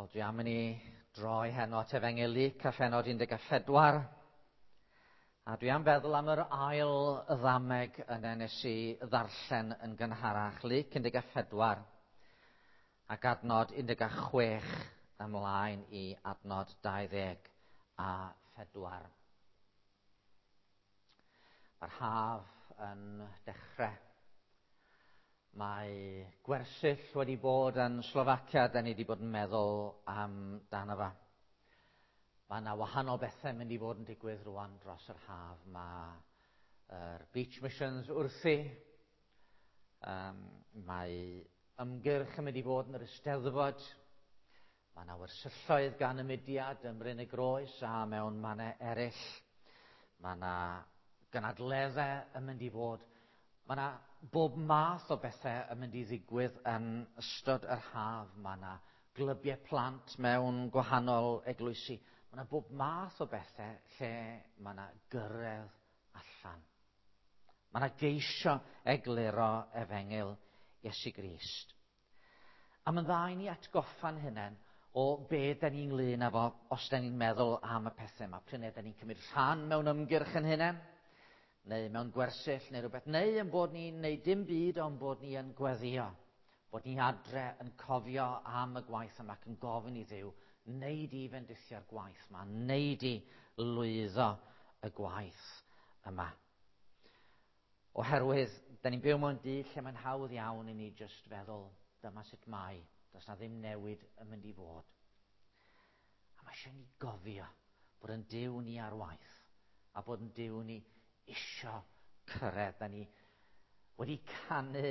Wel, dwi am i ni droi heno at Efengyl Luc a phennod 14. A dwi am feddwl am yr ail ddameg yna nes i ddarllen yn gynharach. Luc 14 ac adnod 16 ymlaen i adnod 24. Mae'r haf yn dechrau. Mae gwersyll wedi bod yn Slofacia, da ni wedi bod yn meddwl amdano fo. Mae yna wahanol bethau mynd i fod yn digwydd rwan dros yr haf. Mae'r Beach Missions wrthi. Mae ymgyrch yn mynd i fod yn yr Eisteddfod. Mae yna wersylloedd gan y mudiad ym Mryn y Groes a mewn mannau eraill. Mae yna gynadleddau yn mynd i fod. Mae yna bob math o bethau yn mynd i ddigwydd yn ystod yr haf. Mae yna glybiau plant mewn gwahanol eglwysi. Mae yna bob math o bethau lle mae yna gyrraedd allan. Mae yna geisio egluro efengyl Iesu Grist. A mae'n dda i ni atgoffa'n hunain o be da ni'n ynglyn â fo os da ni'n meddwl am y pethau yma. Pryd da ni'n cymryd rhan mewn ymgyrch yn hunain, neu mewn gwersyll neu rhywbeth, neu yn bod ni'n neud dim byd ond bod ni yn gweddio, bod ni adre yn cofio am y gwaith yma ac yn gofyn i Dduw, wneud i fendithio'r gwaith yma, wneud i lwyddo y gwaith yma. Oherwydd, da ni'n byw mewn byd lle mae'n hawdd iawn i ni jyst feddwl, dyma sut mae, does na ddim newid yn mynd i fod. A mae eisiau ni gofio bod yn Duw ni ar waith, a bod yn Duw ni isio cyrraedd. Da ni wedi canu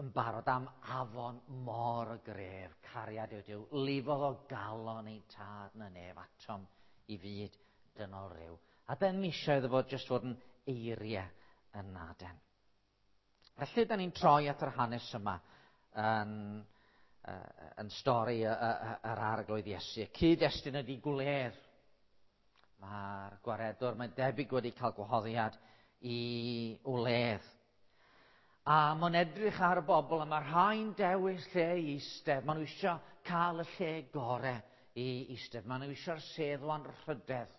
yn barod am afon mor gref, cariad yw Duw, lifodd o galon ein tad na nef atom i fyd dynol rhyw. A dyn ni eisiau iddo fod jyst fod yn eiriau yn naden. Felly, da ni'n troi at yr hanes yma yn stori yr Arglwydd Iesu. Y cyd-destun ydy gwledd. Mae'r gwaredwr, mae'n debyg wedi cael gwahoddiad i wledd. A mae'n edrych ar y bobl a mae rhai'n dewis lle i eistedd. Maen nhw eisiau cael y lle gore i eistedd. Maen nhw eisiau'r sedd o anrhydedd,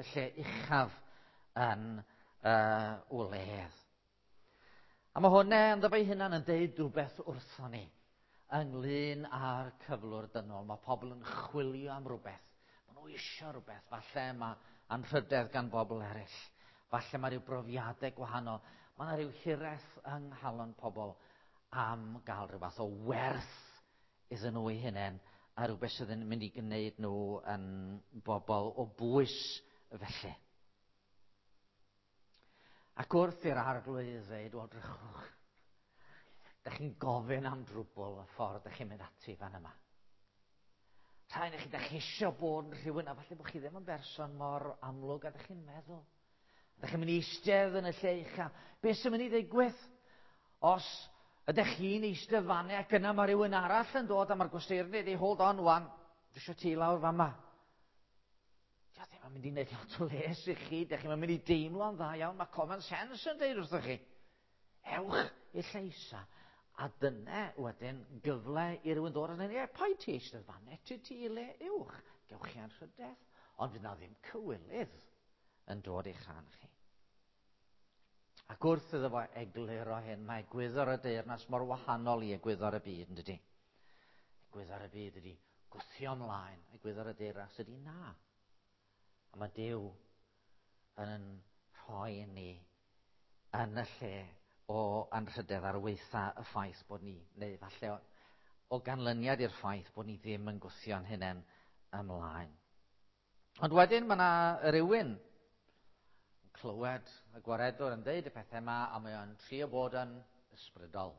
y lle uchaf yn wledd. A mae hwnna ynddo fe'i hunan yn deud rhywbeth wrthon ni ynglyn â'r cyflwr dynol. Mae pobl yn chwilio am rhywbeth. Maen nhw eisiau rhywbeth. Falle mae anrhydedd gan bobl eraill. Falle mae rhyw brofiadau gwahanol. Mae yna rhyw hiraeth yng nghalon pobl am gael rhyw fath o werth iddyn nhw eu hunain a rhywbeth sydd yn mynd i gwneud nhw yn bobl o bwys felly. Ac wrth i'r Arglwydd ddweud, wel, drychwch, da chi'n gofyn am drwbl y ffordd da chi'n mynd ati fan yma. Rhai chi, da chi eisiau bod yn rhywun, a falle bod chi ddim yn berson mor amlwg a da chi'n meddwl. Da chi'n mynd i eistedd yn y lle ucha. Be sy'n mynd i ddigwydd? Os ydych chi'n eistedd fanne ac yna mae rhywun arall yn dod a mae'r gwesteiwr yn dweud, hold on wan, dwi eisiau ti lawr fan yma. Dio ddim yn mynd i wneud lot o les i chi, dych chi'n mynd i deimlo'n dda iawn, mae common sense yn deud wrthych chi. Ewch i'r lle isa. A dyna wedyn gyfle i rywun ddod a dweud, ie, paid ti eistedd fan, ti ti i le uwch, gewch chi anrhydedd. Ond fydd na ddim cywilydd yn dod i'ch rhan chi. Ac wrth iddo fo egluro hyn, mae egwyddor y deyrnas mor wahanol i egwyddor y byd, yn dydy? Egwyddor y byd ydy gwthio ymlaen, egwyddor y deyrnas ydy na. A mae Duw yn rhoi ni yn y lle o anrhydedd ar weitha y ffaith bod ni, neu falle o ganlyniad i'r ffaith bod ni ddim yn gwthio'n hunain ymlaen. Ond wedyn mae yna rywun yn clywed y gwaredwr yn deud y pethau yma a mae o'n trio bod yn ysbrydol.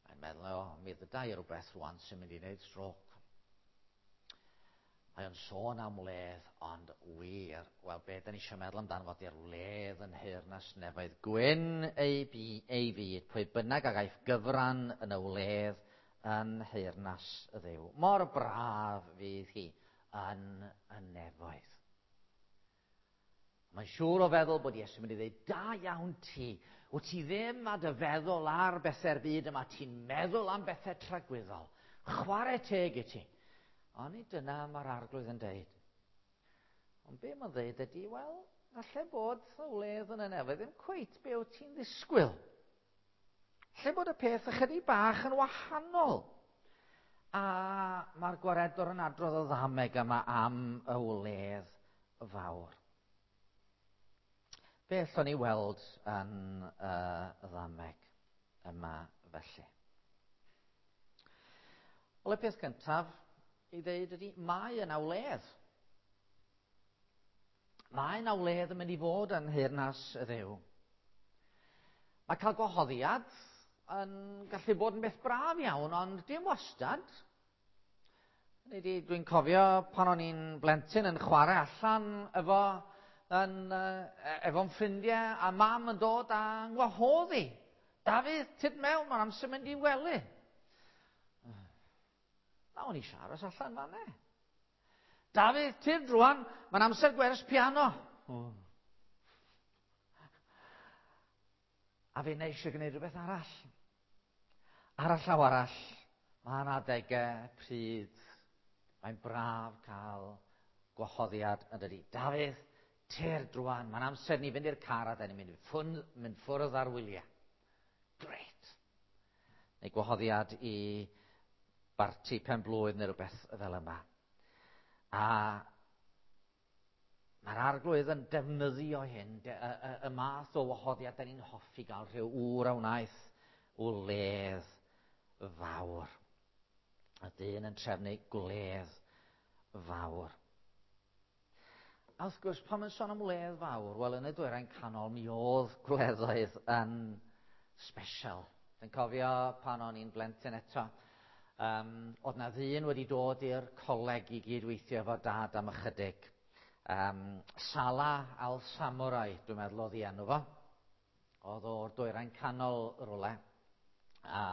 Mae'n meddwl, o, mi ddyda i rhywbeth rwan sy'n mynd i wneud stroke. Mae o'n sôn am wledd, ond wir, wel, be da ni eisiau meddwl amdano fo di'r wledd yn nheyrnas nefoedd. Gwyn ei, bu, ei fyd, pwy bynnag a gaiff gyfran yn y wledd yn nheyrnas y Dduw. Mor braf fydd hi yn y nefoedd. Mae'n siŵr o feddwl bod Iesu'n mynd i ddweud, da iawn ti, wyt ti ddim a dy feddwl ar bethau'r byd yma, ti'n meddwl am bethau tragwyddol. Chwarae teg i ti. Ond nid dyna mae'r arglwydd yn deud. Ond be mae'n ddeud ydy, wel, falle bod y wledd yn y nefoedd ddim cweit be wyt ti'n ddisgwyl. Lle bod y peth ychydig bach yn wahanol. A mae'r gwaredwr yn adrodd y ddameg yma am y wledd fawr. Be allwn ni weld yn y ddameg yma felly? Wel, y peth cyntaf i ddeud ydy, mae yna wledd. Mae yna wledd yn mynd i fod yn nheyrnas y Dduw. Mae cael gwahoddiad yn gallu bod yn beth braf iawn, ond dim wastad. Dwi'n cofio pan o'n i'n blentyn yn chwarae allan efo yn, efo'n ffrindiau a mam yn dod a ngwahodd i. Dafydd, tyd mewn, mae'n amser mynd i wely. Na, o'n i eisiau aros allan fan e. Dafydd, tyd rwan, mae'n amser gwers piano. Oh. A fe eisiau gwneud rhywbeth arall. Ar y llaw arall, mae yna adegau pryd mae'n braf cael gwahoddiad yn dydi. Dafydd, tyr drwan, mae'n amser ni fynd i'r car a da ni'n mynd, ffwn, mynd ffwrdd ar wyliau. Gret. Neu gwahoddiad i barti pen blwydd neu rhywbeth fel yma. A Mae'r arglwydd yn defnyddio hyn, y, y, y math o wahoddiad da ni'n hoffi gael rhyw ŵr a wnaeth wledd fawr. Y dyn yn trefnu gwledd fawr. A wrth gwrs, pan mae'n sôn am wledd fawr, wel, yn y dwyrain canol, mi oedd gwleddoedd yn special. Dwi'n cofio pan o'n i'n blentyn eto, oedd na ddyn wedi dod i'r coleg i gydweithio efo dad am ychydig. Salah al-Samurai, dwi'n meddwl oedd ei enw fo. Oedd o'r dwyrain canol rwle. A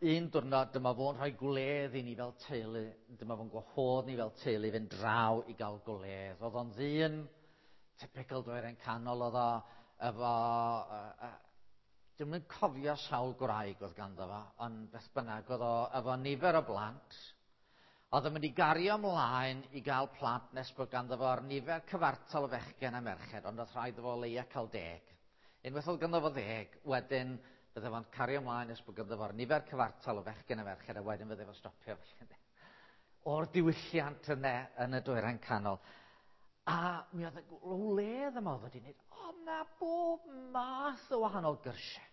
un diwrnod dyma fo'n rhoi gwledd i ni fel teulu, dyma fo'n gwahodd ni fel teulu fynd draw i gael gwledd. Oedd o'n ddyn typical dwyrain canol, oedd o efo... Dwi'm yn cofio sawl gwraig oedd ganddo fo, ond beth bynnag, oedd o efo nifer o blant. Oedd o'n mynd i gario ymlaen i gael plant nes bod ganddo fo ar nifer cyfartal o fechgyn a merched, ond oedd rhaid iddo fo leia cael 10. Unwaith oedd ganddo fo 10, wedyn bydde fo'n cario ymlaen nes bod ganddo fo'r nifer cyfartal o fechgyn a merched, a wedyn fydde fo'n stopio felly. O'r diwylliant yna yn y dwyrain canol. A mi oedd y wledd yma oedd wedi gwneud, oedd na bob math o wahanol gyrsiau.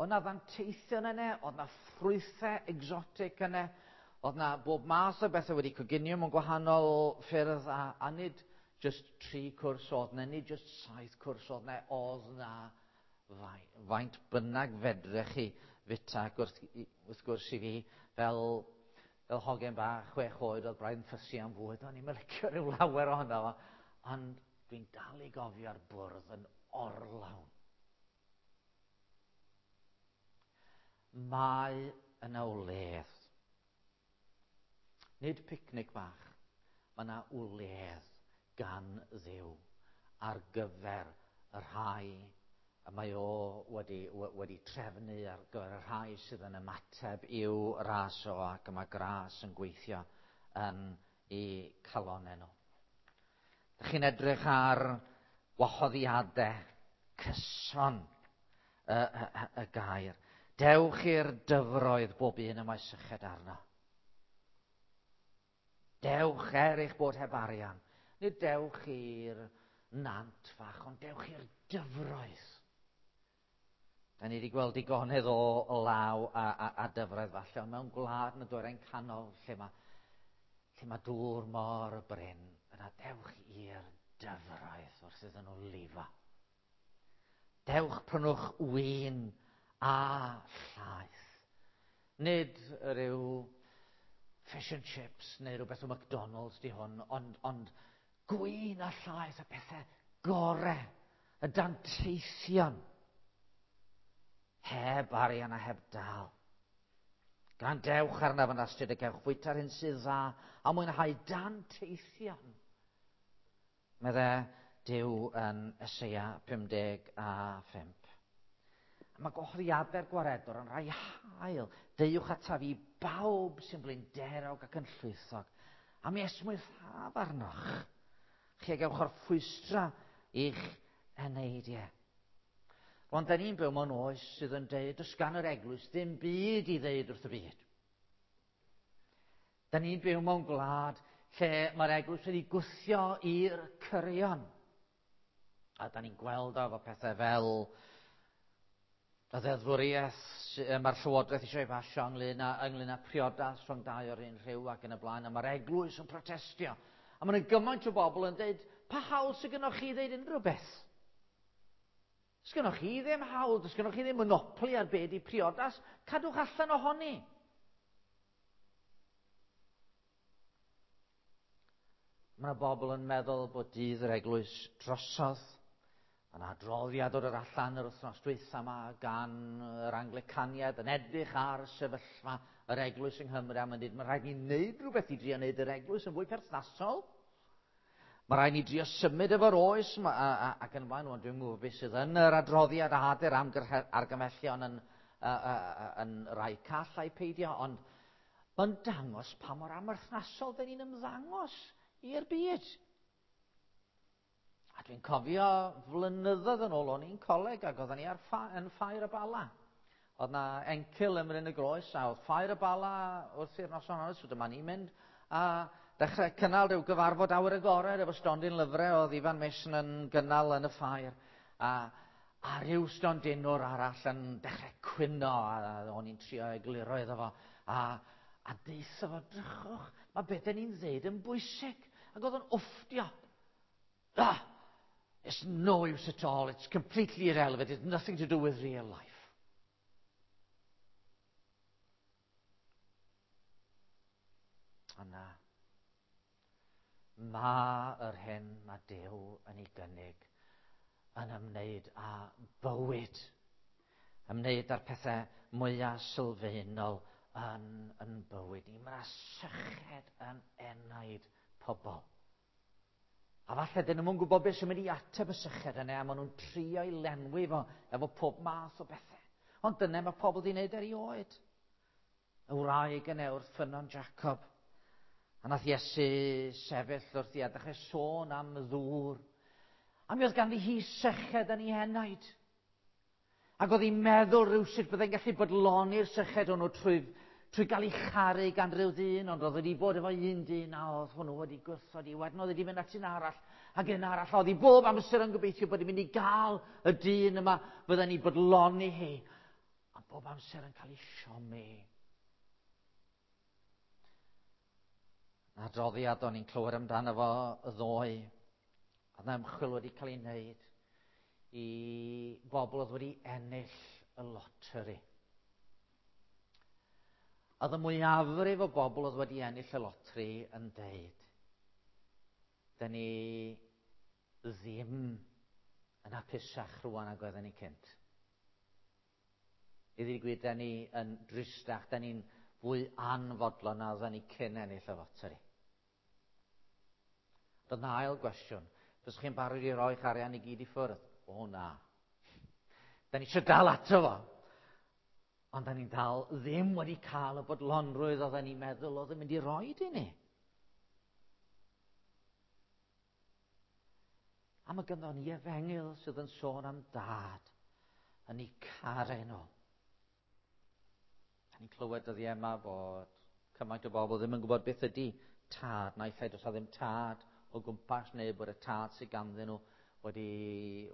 Oedd na ddanteithion yna, oedd na ffrwythau exotic yna, oedd na bob math o bethau wedi coginio mewn gwahanol ffyrdd, a nid just 3 cwrs oedd na, nid just 7 cwrs oedd na, oedd na faint bynnag fedrech chi fita, ac wrth gwrs i fi, fel hogen bach 6 oed, oedd braidd yn ffysu am fwyd, o'n i'n licio rhyw lawer ohono fo, ond dwi'n dal i gofio'r bwrdd yn orlawn. Mae yna wledd. Nid picnic bach. Mae yna wledd gan Dduw ar gyfer y rhai y mae o wedi trefnu, ar gyfer y rhai sydd yn ymateb i'w ras o, ac y mae gras yn gweithio yn eu calonnau nhw. Dych chi'n edrych ar wahoddiadau cyson y gair. Dewch i'r dyfroedd bob un y mae syched arno. Dewch er eich bod heb arian. Nid dewch i'r nant fach, ond dewch i'r dyfroedd. Da ni wedi gweld digonedd o law a dyfroedd falle, ond mewn gwlad yn y dwyrain canol lle mae dŵr mor brin, yna dewch i'r dyfroedd wrth iddyn nhw lifo. Dewch prynwch win a llaeth. Nid rhyw fish and chips neu rhywbeth o McDonald's di hwn, ond gwin a llaeth, y pethau gore, y danteithion, heb arian a heb dal. Gwrandewch arnaf yn astud y gewch fwyta'r hyn sydd dda a mwynhau danteithion. Medde Duw yn Eseia 55. A mae gwahoddiadau'r gwaredwr yn rhai hael. Deuwch ataf i bawb sy'n blinderog ac yn llwythog, a mi esmwythaf arnoch. Chi a gewch orffwystra i'ch eneidiau. Rwan, da ni'n byw mewn oes sydd yn deud, does gan yr eglwys ddim byd i ddeud wrth y byd. Da ni'n byw mewn gwlad lle mae'r eglwys wedi gwthio i'r cyrion. A da ni'n gweld o efo pethau fel y ddeddfwriaeth mae'r Llywodraeth eisiau ei basio ynglyn â priodas rhwng dau o'r un rhyw ac yn y blaen, a mae'r eglwys yn protestio. A mae'n gymaint o bobl yn dweud, pa hawl sydd gennych chi i ddeud unrhyw beth? Sgynnoch chi ddim hawl, does gynnoch chi ddim monopoli ar be di priodas, cadwch allan ohoni. Mae yna bobl yn meddwl bod dydd yr eglwys drosodd. Mae yna adroddiad o'r allan yr wythnos dwytha yma gan yr Anglicaniad yn edrych ar sefyllfa yr eglwys yng Nghymru a mae'n dweud mae rhaid ni wneud rhywbeth i drio wneud yr eglwys yn fwy perthnasol. Mae rhaid ni drio symud efo'r oes ma, a, a, ac yn blaen. Dwi'n gwybod beth sydd yn yr adroddiad a ader am argymhellion yn, a, a, a, yn rai call a'i peidio, ond mae'n dangos pa mor amherthnasol dyn ni'n ymddangos i'r byd. A dwi'n cofio flynyddoedd yn ôl o'n i'n coleg ac oedden ni ar ffa, yn Ffair y Bala. Oedd na encil ym Mryn y Groes a oedd Ffair y Bala wrth i'r noson honno, so dyma ni'n mynd a dechrau cynnal rhyw gyfarfod awyr agored efo stondin lyfrau oedd Ifan Mason yn gynnal yn y ffair. A, a rhyw stondinwr arall yn dechrau cwyno a, a o'n i'n trio egluro iddo fo. A, a deutha fo, drychwch, mae beth dyn ni'n ddeud yn bwysig. Ac oedd o'n wfftio. Ah, it's no use at all. It's completely irrelevant. It's nothing to do with real life. A na, mae yr hyn mae Duw yn ei gynnig yn ymwneud â bywyd, ymwneud â'r pethau mwyaf sylfaenol yn, yn bywyd ni. Mae syched yn enaid pobl. A falle dyn nhw'n gwybod beth sy'n mynd i ateb y syched yna, a maen nhw'n trio i lenwi fo efo pob math o bethau. Ond dyna mae pobl wedi wneud erioed. Y wraig yna wrth ffynnon Jacob. A nath Iesu sefyll wrth i a dechrau sôn am ddŵr. A mi oedd ganddi hi syched yn ei henaid. Ac oedd hi'n meddwl rhywsut byddai'n gallu bodloni'r syched hwnnw trwy, trwy gael ei charu gan rhyw ddyn, ond oedd wedi bod efo un dyn a oedd hwnnw wedi gwrthod i. Wedyn oedd wedi mynd at un arall ac un arall. Oedd hi bob amser yn gobeithio bod hi'n mynd i gael y dyn yma fydden ni bodloni hi. Ond bob amser yn cael ei siomi. Adroddiad o'n i'n clywed amdano fo ddoe. Oedd yna ymchwil wedi cael ei wneud i bobl oedd wedi ennill y loteri. Oedd y mwyafrif o bobl oedd wedi ennill y loteri yn deud, dyn ni ddim yn hapusach rwan ag oedden ni cynt. I ddweud gwir, da ni yn dristach, da ni'n fwy anfodlon na oedden ni cyn ennill y loteri. Doedd na ail gwestiwn. Fyswch chi'n barod i roi'ch arian i gyd i ffwrdd? O na. Da ni eisiau dal ato fo. Ond da ni'n dal ddim wedi cael y bodlonrwydd oedden ni'n meddwl oedd yn mynd i roed i ni. A mae ganddo ni efengyl sydd yn sôn am dad yn ei caru nhw. Da ni'n clywed dyddiau yma bod cymaint o bobl ddim yn gwybod beth ydy tad. Naill ai does ddim tad o gwmpas neu bod y tad sydd ganddyn nhw wedi,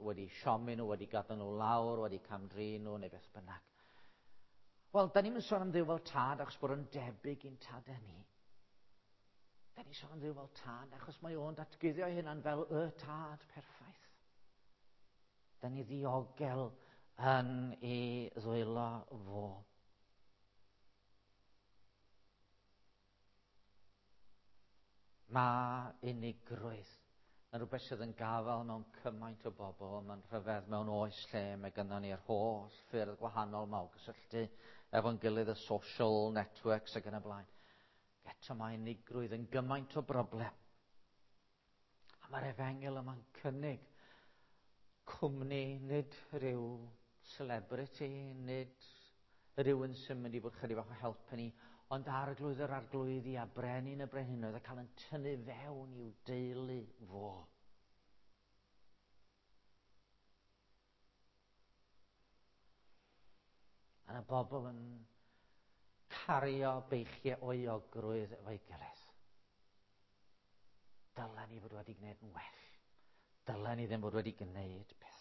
wedi siomi nhw, wedi gadael nhw lawr, wedi camdrin nhw neu beth bynnag. Wel, da ni'n sôn am Dduw fel tad achos bod o'n debyg i'n tadau ni. Da ni'n sôn am Dduw fel tad achos mae o'n datguddio ei hunan fel y tad perffaith. Da ni ddiogel yn ei ddwylo fo. Mae unigrwydd yn rhywbeth sydd yn gafael mewn cymaint o bobl. Mae'n rhyfedd mewn oes lle mae gynnon ni'r holl ffyrdd gwahanol ma o gysylltu efo'n gilydd, y social networks ac yn y blaen. Eto mae unigrwydd yn gymaint o broblem. A mae'r efengyl yma'n cynnig cwmni, nid rhyw celebrity, nid Rhywun sy'n mynd i fod chydig bach o help i ni, ond arglwydd yr arglwyddi a brenin y brenhinoedd a cael yn tynnu fewn i'w deulu fo. A yna bobl yn cario beichiau o euogrwydd efo'i gilydd. Dylen ni fod wedi gwneud yn well. Dylen ni ddim fod wedi gwneud pethau.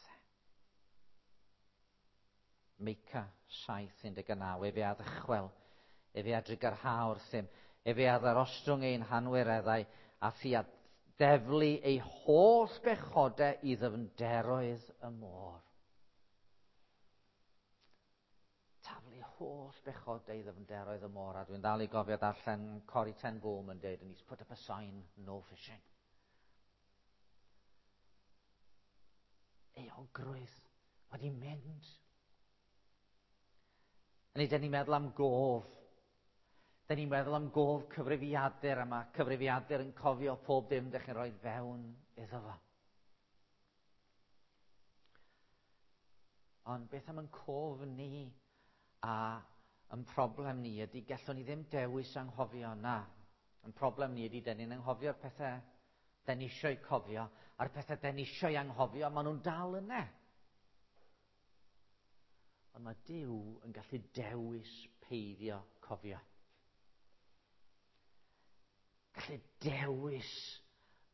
Meica 7:19, efe a ddychwel, efe a drugarha wrthym, efe a ddarostwng ein hanwireddau, a thi a deflu ei holl bechodau i ddyfnderoedd y môr. Taflu holl bechodau i ddyfnderoedd y môr, a dwi'n dal i gofio darllen Corrie ten Boom yn dweud, and he's put up a sign, no fishing. Euogrwydd wedi mynd. Neu dyn ni'n meddwl am gof. Dyn ni'n meddwl am gof cyfrifiadur, a mae cyfrifiadur yn cofio pob dim dych chi'n rhoi fewn iddo fo. Ond beth am yn cof ni a yn problem ni ydy gallwn ni ddim dewis anghofio na. Yn problem ni ydy dyn ni'n anghofio'r pethau dyn ni eisiau cofio a'r pethau dyn ni eisiau anghofio, maen nhw'n dal yna. Ond mae Duw yn gallu dewis peidio cofio. Gallu dewis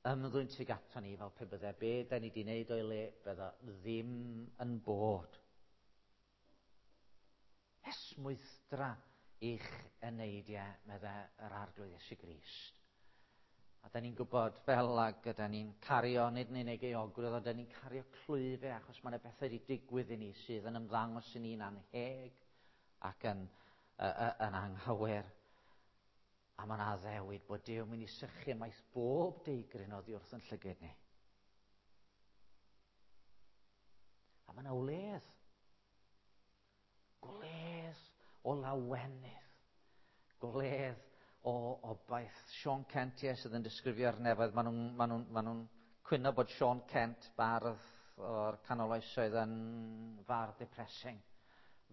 ymddwyn tuag ato ni fel pe bydde be da ni wedi wneud o'i le, bydde ddim yn bod. Esmwythdra i'ch eneidiau, medde yr Arglwydd Iesu Grist. A da ni'n gwybod fel ag yda ni'n cario, nid yn unig euogrwydd, ond da ni'n cario clwyfau achos mae yna bethau wedi digwydd i ni sydd yn ymddangos i ni'n anheg ac yn, yn anghywir. A mae'n addewid bod Duw yn mynd i sychu ymaith bob deigryn oddi wrth yn llygyd ni. A mae yna wledd. Gwledd o lawenydd. Gwledd o obaith. Sean Kent, ie, sydd yn disgrifio'r nefoedd. Maen nhw'n ma nhw, ma nhw cwyno bod Sean Kent, bardd o'r canol oesoedd, yn fardd depressing.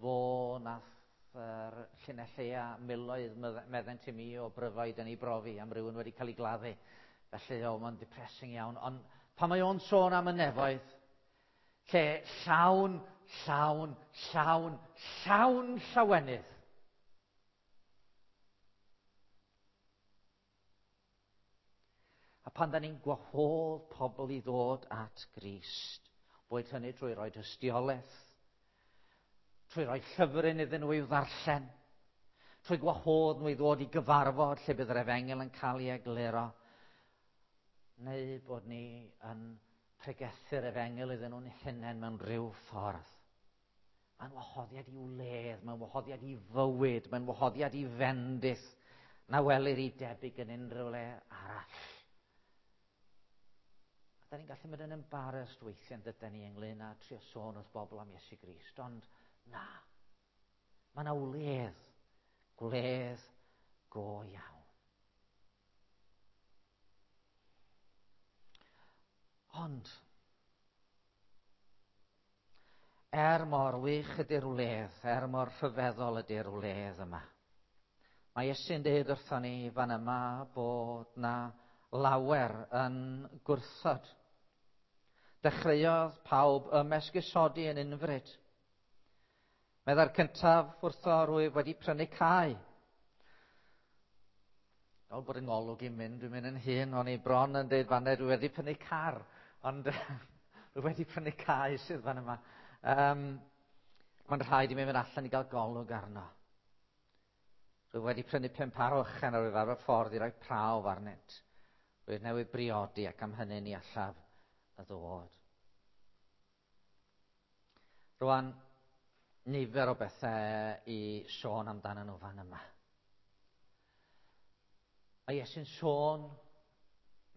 Fo nath yr llinell lleia miloedd meddent i mi o bryfaid yn ei brofi am rywun wedi cael ei gladdu. Felly, o, mae'n depressing iawn. Ond pan mae o'n sôn am y nefoedd, lle llawn, llawn, llawn, llawn llawenydd. A pan da ni'n gwahodd pobl i ddod at Grist, boed hynny trwy roi tystiolaeth, trwy roi llyfryn iddyn nhw i'w ddarllen, trwy gwahodd nhw i ddod i gyfarfod lle bydd yr efengyl yn cael ei egluro, neu bod ni yn pregethu'r efengyl iddyn nhw'n hunain mewn rhyw ffordd. Mae'n wahoddiad i wledd, mae'n wahoddiad i fywyd, mae'n wahoddiad i fendith na welir i debyg yn unrhyw le arall. A da ni'n gallu mynd yn embarrassed weithiau yn dydyn ni ynglyn â trio sôn wrth bobl am Iesu Grist, ond na. Mae yna wledd, gwledd go iawn. Ond, er mor wych ydy'r wledd, er mor rhyfeddol ydy'r wledd yma, mae Iesu'n dweud wrthon ni fan yma bod na lawer yn gwrthod. Dechreuodd pawb ymesgusodi yn unfryd. Meddai'r cyntaf wrtho, rwyf wedi prynu cae. Fel bod yng ngolwg i'n mynd, dwi'n mynd yn hyn, o'n i bron yn dweud fanna, dwi wedi prynu car, ond dwi wedi prynu cae sydd fan yma. Mae'n rhaid i mi fynd allan i gael golwg arno. Rwy wedi prynu 5 par o ychen ar ar y ffordd i roi prawf arnynt. Rwyf newydd briodi ac am hynny ni allaf y ddod. Rwan, nifer o bethau i sôn amdano nhw fan yma. Mae Iesu'n sôn,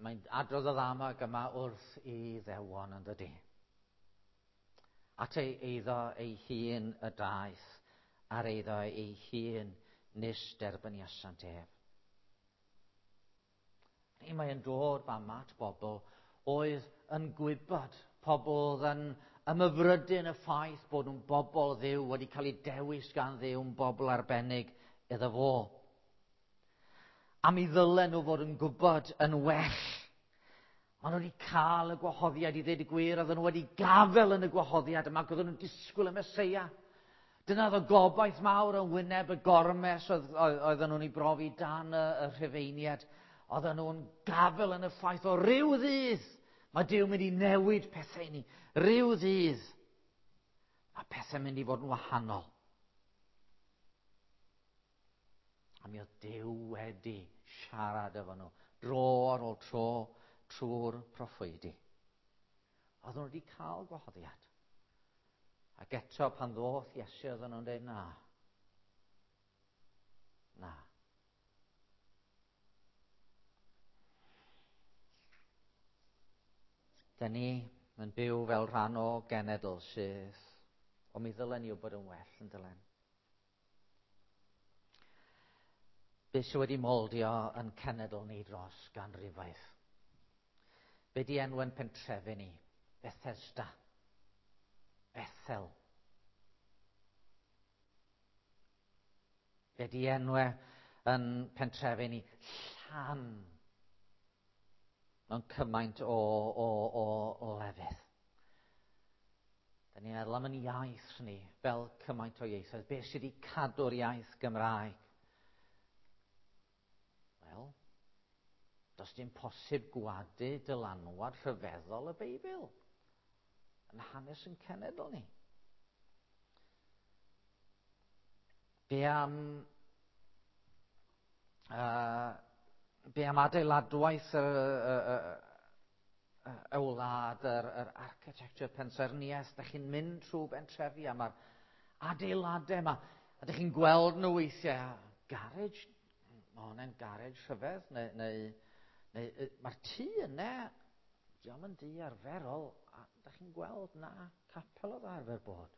mae'n adrodd y ddamag yma wrth i ddewon yn dydi. At ei eiddo ei hun y daeth, ar eiddo ei hun nis derbyniasant ef. Ni mae'n dod fama at bobl oedd yn gwybod, pobl oedd yn ymhyfrydu yn y ffaith bod nhw'n bobl Dduw, wedi cael eu dewis gan Dduw, yn bobl arbennig iddo fo. A mi ddylen nhw fod yn gwybod yn well. Maen nhw wedi cael y gwahoddiad i ddweud y gwir, oedden nhw wedi gafel yn y gwahoddiad yma, ac oedden nhw'n disgwyl y Meseia. Dyna oedd y gobaith mawr yn wyneb y gormes oedden nhw'n ei brofi dan y Rhufeiniaid. Oedden nhw'n gafel yn y ffaith o ryw ddydd. Mae Duw mynd i newid pethau i ni. Ryw ddydd. Mae pethau'n mynd i fod yn wahanol. A mi oedd Duw wedi siarad efo nhw dro ar ôl tro trwy'r proffwydi. Oedden nhw wedi cael gwahoddiad. Ac eto pan ddoth Iesu oedden nhw'n dweud na. Na. Dyn ni yn byw fel rhan o genedl sydd, o mi ddylen ni wybod yn well yn dylen. Be sydd wedi moldio yn cenedl ni dros ganrifoedd? Be di enw'n pentrefi ni? Bethesda. Bethel. Be di enwe yn pentrefi ni? Llan. Mewn cymaint o lefydd. Da ni'n meddwl am yn iaith ni fel cymaint o ieithoedd. Be sydd wedi cadw'r iaith Gymraeg? Wel, does dim posib gwadu dylanwad rhyfeddol y Beibl yn hanes yn cenedl ni. Be am adeiladwaith y wlad, yr architecture pensaernïaeth, da chi'n mynd trwy bentrefi a mae'r adeiladau yma, a da chi'n gweld nhw weithiau, garage, mae hwnna'n garage rhyfedd, neu mae'r tŷ yna, diolch yn dŷ arferol, a da chi'n gweld na capel oedd arfer bod.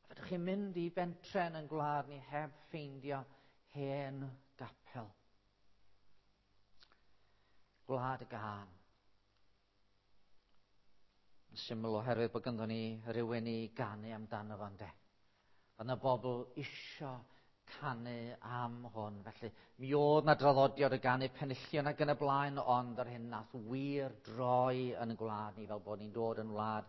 A fedrwch chi'n mynd i bentren yn gwlad ni heb ffeindio hen gapel. Gwlad y gân. Yn syml oherwydd bod ganddo ni rhywun i ganu amdano fo, ynde. Oedd yna bobl isio canu am hwn. Felly, mi oedd na draddodiad o ganu penillion ac yn y blaen, ond yr hyn nath wir droi yn y gwlad ni fel bod ni'n dod yn wlad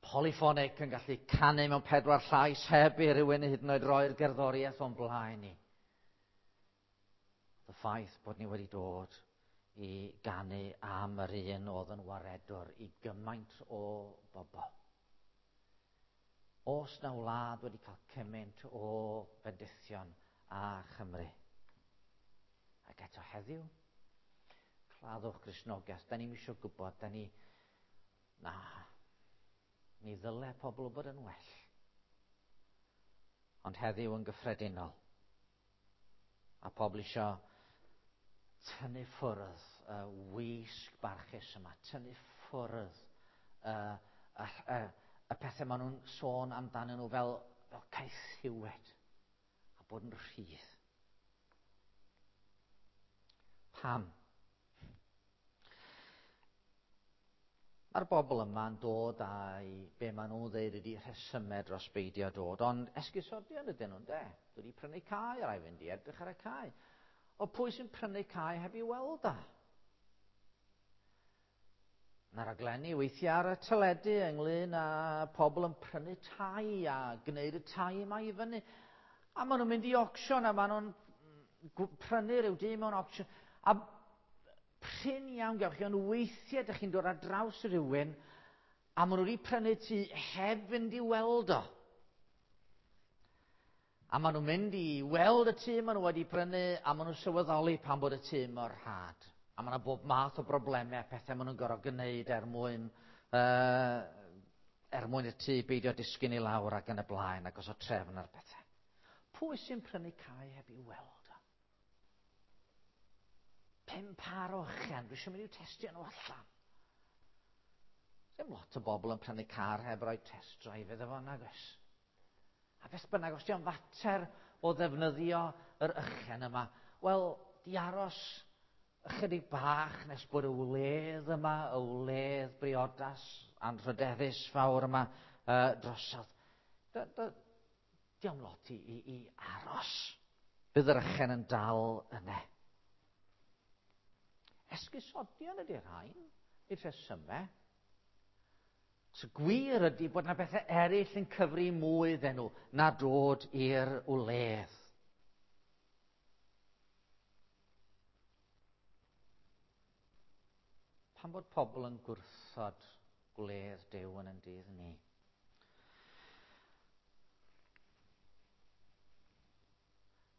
polyphonic yn gallu canu mewn 4 llais heb i rywun hyd yn oed roi'r gerddoriaeth o'n blaen ni. Y ffaith bod ni wedi dod i ganu am yr un oedd yn waredwr i gymaint o bobl. Oes na wlad wedi cael cymaint o fendithion a Chymru. Ac eto heddiw, claddwch Gristnogaeth, da ni'm isio gwybod, da ni, na, mi ddyle pobl bod yn well. Ond heddiw yn gyffredinol, a pobl isio tynnu ffwrdd y wisg barchus yma, tynnu ffwrdd y pethau maen nhw'n sôn amdanyn nhw fel caethiwed a bod yn rhydd. Pam? Mae'r bobl yma'n dod â'i be maen nhw'n ddeud ydi rhesymau dros beidio dod, ond esgusodion ydyn nhw'n de. Dwi wedi prynu cae, a rhaid fynd i edrych ar y cae. O pwy sy'n prynu cae heb i weld a? Mae raglenni weithiau ar y teledu ynglyn â pobl yn prynu tai a gwneud y tai yma i fyny. A maen nhw'n mynd i auction a maen nhw'n prynu rhyw dŷ mewn auction. A prin iawn gewch chi, ond weithiau ydych chi'n dod ar draws rhywun a maen nhw wedi prynu tŷ heb fynd i weld o. A maen nhw'n mynd i weld y tŷ maen nhw wedi prynu a maen nhw'n sylweddoli pan bod y tŷ mor rhad. A maen nhw bob math o broblemau a pethau maen nhw'n gorfod gwneud er mwyn y tŷ beidio disgyn i lawr ac yn y blaen ac os o trefn ar pethau. Pwy sy'n prynu cae heb i weld o? 5 par o ychen, dwi eisiau mynd i'w testio nhw allan. Dim lot o bobl yn prynu car heb roi test drive iddo fo, nag oes? A beth bynnag, os di o'n fater o ddefnyddio yr ychen yma, wel, di aros ychydig bach nes bod y wledd yma, y wledd briodas anrhydeddus fawr yma drosodd. Diolch lot i aros. Bydd yr ychen yn dal yna. Esgusodion ydy'r rhain, i'r rhesymau. So gwir ydy bod yna bethau eraill yn cyfri mwy iddyn nhw na dod i'r wledd. Pam bod pobl yn gwrthod gwledd Duw yn ein dydd ni?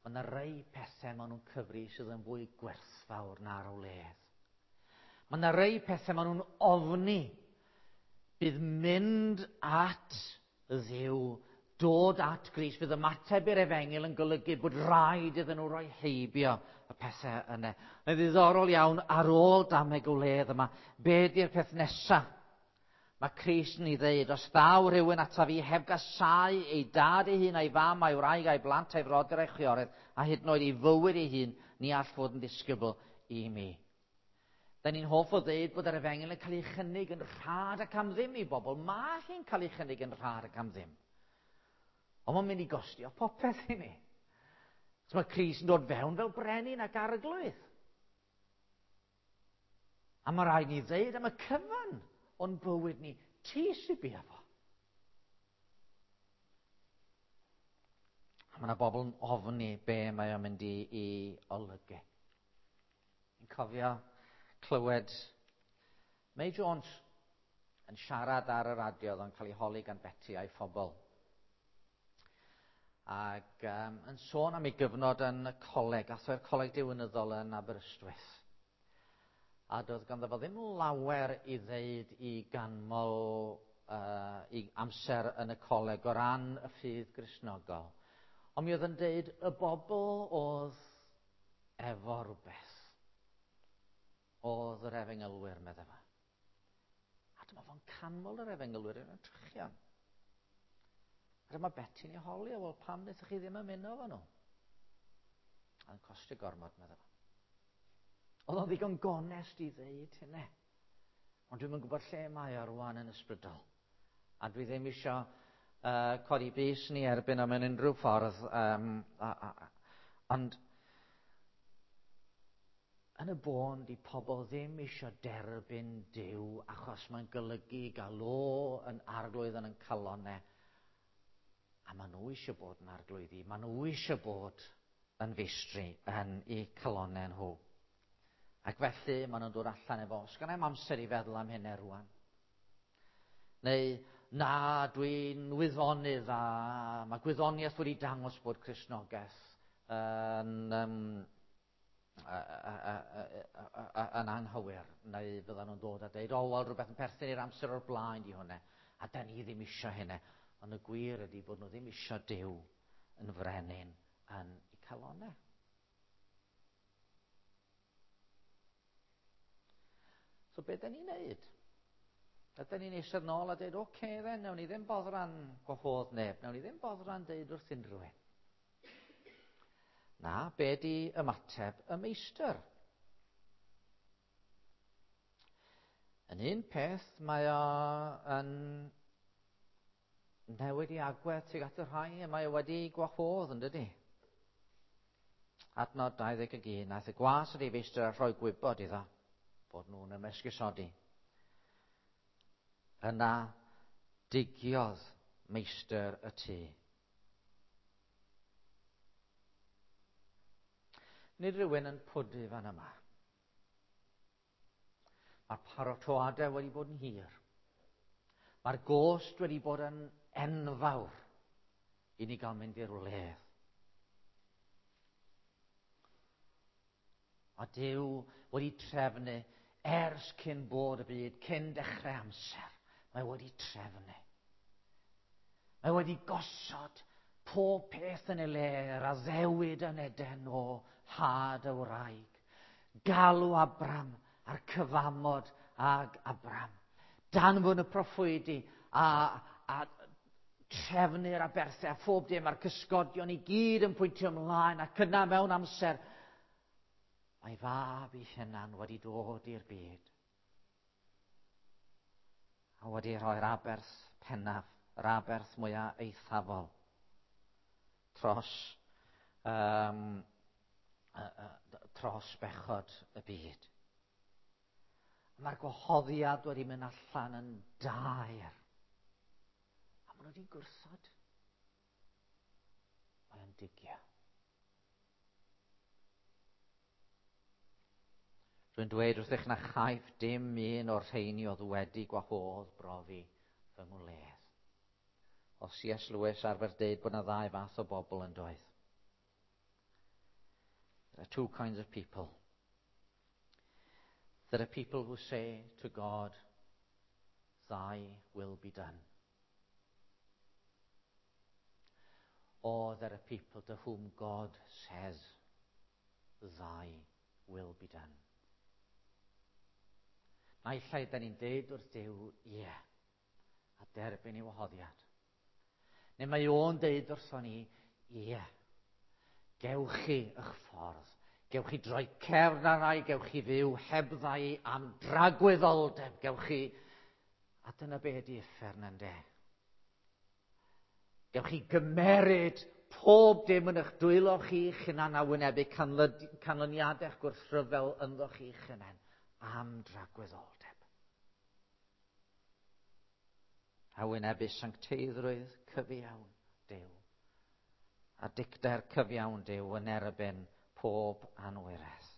Mae yna rai pethau maen nhw'n cyfri sydd yn fwy gwerthfawr na'r wledd. Mae yna rai pethau maen nhw'n ofni bydd mynd at Dduw, dod at Grist, bydd ymateb i'r efengyl yn golygu bod rhaid iddyn nhw roi heibio y pethau yna. Mae'n ddiddorol iawn ar ôl dameg y wledd yma, be di'r peth nesaf? Mae Crist yn ei ddeud, os ddaw rhywun ataf fi heb gasáu ei dad ei hun a'i fam a'i wraig a'i blant a'i frodyr a'i chwiorydd, a hyd yn oed ei fywyd ei hun, ni all fod yn ddisgybl i mi. Da ni'n hoff o ddeud bod yr efengyl yn cael ei chynnig yn rhad ac am ddim i bobl. Mae hi'n cael ei chynnig yn rhad ac am ddim. Ond mae'n mynd i gostio popeth i ni. So mae Crist yn dod fewn fel brenin ac arglwydd. A mae rhaid ni ddeud am y cyfan o'n bywyd ni, ti sy'n bia fo. A mae yna bobl yn ofni be mae o'n mynd i olygu. Fi'n cofio clywed May Jones yn siarad ar y radio, oedd o'n cael ei holi gan Betty a'i phobl. Ac yn sôn am ei gyfnod yn y coleg, ath o'r coleg diwinyddol yn Aberystwyth. A doedd ganddo fo ddim lawer i ddeud i ganmol i amser yn y coleg o ran y ffydd Gristnogol. Ond mi oedd yn deud y bobl oedd efo rhywbeth. Oedd yr efengylwyr, meddai fo. A dyma fo'n canmol yr efengylwyr yn y trychion. A dyma Betty'n ei holi, wel pam wnaethoch chi ddim ymuno efo nhw? A'n costio gormod, meddai fo. Oedd o'n ddigon gonest i ddeud hynny. Ond dwi'm yn gwybod lle mae o rwan yn ysbrydol. A dwi ddim isio codi bys ni erbyn o mewn unrhyw ffordd. Ond yn y bôn, di pobl ddim eisiau derbyn Duw achos mae'n golygu gael o yn arglwydd yn ein calonnau. A maen nhw eisiau bod yn arglwyddi. Maen nhw eisiau bod yn feistri yn eu calonnau nhw. Ac felly maen nhw'n dod allan efo, os gynna i'm amser i feddwl am hynny rwan. Neu, na, dwi'n wyddonydd a mae gwyddoniaeth wedi dangos bod Cristnogaeth yn anghywir. Neu fyddan nhw'n dod a dweud, o, wel, rhywbeth yn perthyn i'r amser o'r blaen di hwnna. A da ni ddim eisiau hynny. Ond y gwir ydy bod nhw ddim eisiau Duw yn frenin yn eu calonnau. So be da ni'n neud? Ydyn ni'n eistedd nôl a dweud, oce then, nawn ni ddim boddran gwahodd neb, nawn ni ddim boddran deud wrth unrhyw un. Na, be di ymateb y meistr? Yn un peth, mae o yn newid i agwedd tuag at y rhai y mae o wedi gwahodd, yn dydi? Adnod 21, naeth y gwas at ei feistr a rhoi gwybod iddo bod nhw'n ymesgusodi. Yna digiodd meistr y tŷ. Nid rhywun yn pwdu fan yma. Mae'r paratoadau wedi bod yn hir. Mae'r gost wedi bod yn enfawr i ni gael mynd i'r wledd. A Duw wedi trefnu ers cyn bod y byd, cyn dechrau amser. Mae wedi trefnu. Mae wedi gosod pob peth yn ei le, yr addewid yn Eden o had y wraig. Galw Abram a'r cyfamod ag Abram. Danfon y proffwydi a trefnu'r aberthau a phob dim a'r cysgodion i gyd yn pwyntio ymlaen ac yna mewn amser. Mae fab ei hunan wedi dod i'r byd a wedi rhoi'r aberth pennaf, yr aberth mwyaf eithafol dros, um, dros bechod y byd. Mae'r gwahoddiad wedi mynd allan yn daer. A maen nhw wedi gwrthod. Mae o'n digio. Rwy'n dweud wrthych na chaiff dim un o'r rheini oedd wedi gwahodd brofi fy ngwledd. O C.S. Lewis arfer deud bod yna ddau fath o bobl yn doedd. There are two kinds of people. There are people who say to God, "Thy will be done." Or there are people to whom God says, "Thy will be done." Naill ai da ni'n deud wrth Duw, ie, a derbyn ei wahoddiad. Neu mae o'n deud wrthon ni, ie, gewch chi eich ffordd. Gewch chi droi cefn ar rai, gewch chi fyw hebddau am dragwyddoldeb, gewch chi. A dyna be ydi uffern yn de. Gewch chi gymeryd pob dim yn eich dwylo chi'ch hunan a wynebu canlyniadau'ch gwrthryfel ynddo chi'ch hunan am dragwyddoldeb. A wynebu sancteiddrwydd cyfiawn Duw a dicter cyfiawn Duw yn erbyn pob anwiredd.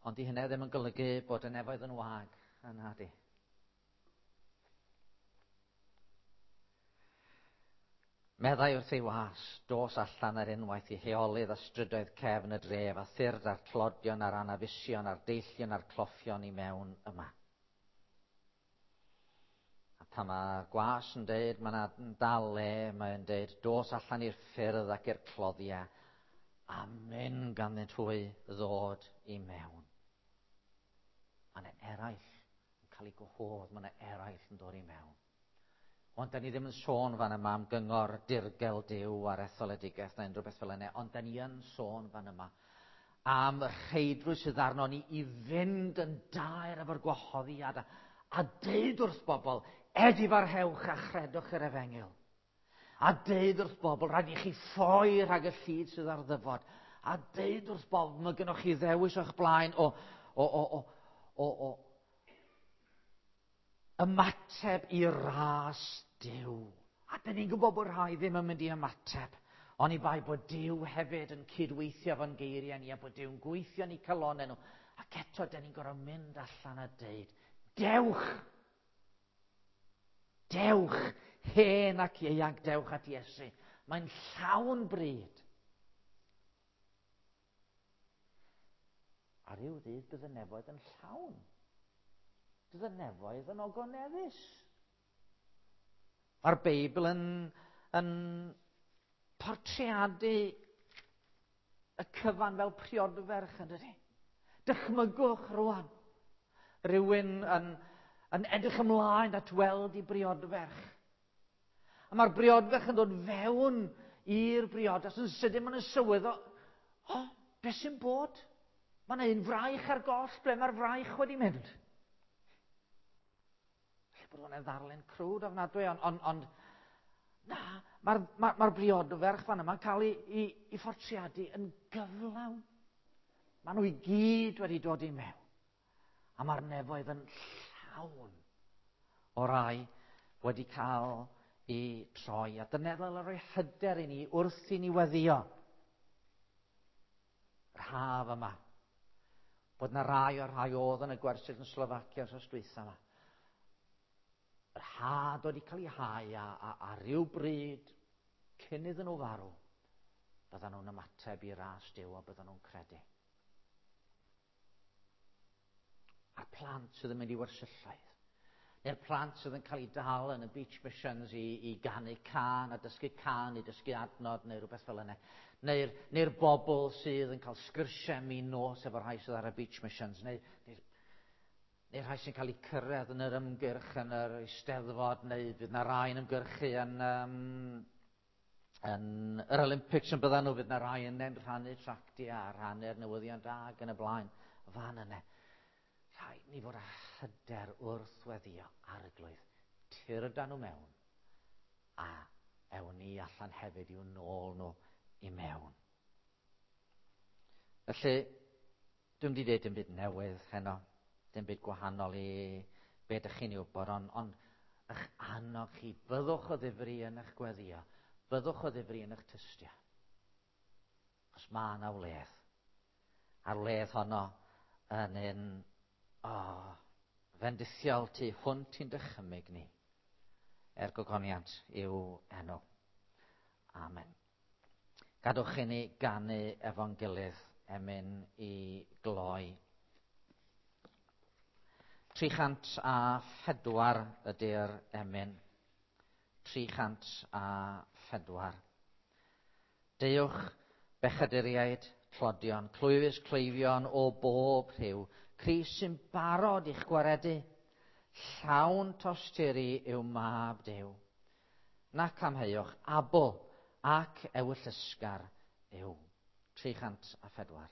Ond di hynny ddim yn golygu bod y nefoedd yn wag, yna di. Meddai wrth ei was, "Dos allan ar unwaith i heolydd a strydoedd cefn y dref, a thyrd a'r tlodion a'r anafusion a'r deillion a'r cloffion i mewn yma." A pan mae'r gwas yn deud mae yna dal le, mae'n deud, "Dos allan i'r ffyrdd ac i'r cloddiau," a mynd ganddynt hwy ddod i mewn. Mae yna eraill yn cael eu gwahodd, mae yna eraill yn dod i mewn. Ond da ni ddim yn sôn fan yma am gyngor dirgel Duw ar etholedigaeth neu unrhyw beth fel yna, ond da ni yn sôn fan yma am y rheidrwydd sydd arno ni i fynd yn daer efo'r gwahoddiad a deud wrth bobl, "Edifarhewch a chredwch yr efengyl." A deud wrth bobl, rhaid i chi ffoi rhag y llid sydd ar ddyfod. A deud wrth bobl, mae gennych chi ddewis o'ch blaen o ymateb i ras Duw. A dyn ni'n gwybod bod rhai ddim yn mynd i ymateb. Oni bai bod Duw hefyd yn cydweithio fo'n geiriau ni a bod Duw'n gweithio ni calonau nhw. Ac eto, dyn ni'n gorfod mynd allan a deud, "Dewch! Dewch, hen ac ieuanc, dewch at Iesu. Mae'n llawn bryd." A rhyw ddydd bydd y nefoedd yn llawn. Bydd y nefoedd yn ogoneddus. Mae'r Beibl yn portreadu y cyfan fel priodferch, yn dydy? Dychmygwch rwan. Rhywun yn edrych ymlaen at weld i briodferch. A mae'r briodferch yn dod fewn i'r briodas yn sydyn maen nhw'n sylweddoli, "O, oh, beth sy'n bod? Mae yna un fraich ar goll, ble mae'r fraich wedi mynd?" Lle bod hwnna'n ddarlun crwd ofnadwy, ond na, mae'r ma briodferch fan yma'n cael ei phortreadu yn gyflawn. Maen nhw i gyd wedi dod i mewn. A mae'r nefoedd yn llawn o rai wedi cael eu troi. A dyna ddyle roi hyder i ni wrth i ni weddio yr haf yma. Bod na rai o'r rhai oedd yn y gwersyll yn Slofacia wsos dwytha yma. Yr had wedi cael ei hau a ryw bryd cyn iddyn nhw farw, byddan nhw'n ymateb i ras Duw a byddan nhw'n credu. A'r plant sydd yn mynd i wersylloedd, neu'r plant sydd yn cael eu dal yn y beach missions i ganu cân a dysgu cân, i dysgu adnod neu rhywbeth fel yna. Neu'r bobl sydd yn cael sgyrsiau min nos efo rhai sydd ar y beach missions, neu rhai sy'n cael eu cyrraedd yn yr ymgyrch yn yr eisteddfod, neu fydd na rai yn ymgyrchu yn Yn yr Olympics yn byddan nhw, fydd na rai yna'n rhannu tractiau a rhannu'r newyddion da ac yn y blaen. Fan yna. Rhaid ni fod â hyder wrth weddio arglwydd. Tyrda nhw mewn a ewn ni allan hefyd i'w nôl nhw i mewn. Felly, dwi'n wedi dweud dim byd newydd heno, dim byd gwahanol i be ydych chi'n ei wybod, ond, ond eich annog chi, byddwch o ddifri yn eich gweddio, byddwch o ddifri yn eich tystio. Os mae yna wledd, a'r wledd honno yn un oh, fendithiol tu hwnt i'n dychymyg ni, er gogoniant i'w enw. Amen. Gadwch i ni ganu efo'n gilydd emyn i gloi. 304 ydy'r emyn. 304. Deuwch bechaduriaid tlodion, clwyfus cleifion o bob rhyw, Crist sy'n barod i'ch gwaredu. Llawn tosturi yw mab Duw. Nac amheuwch, abl ac ewyllysgar yw. 304.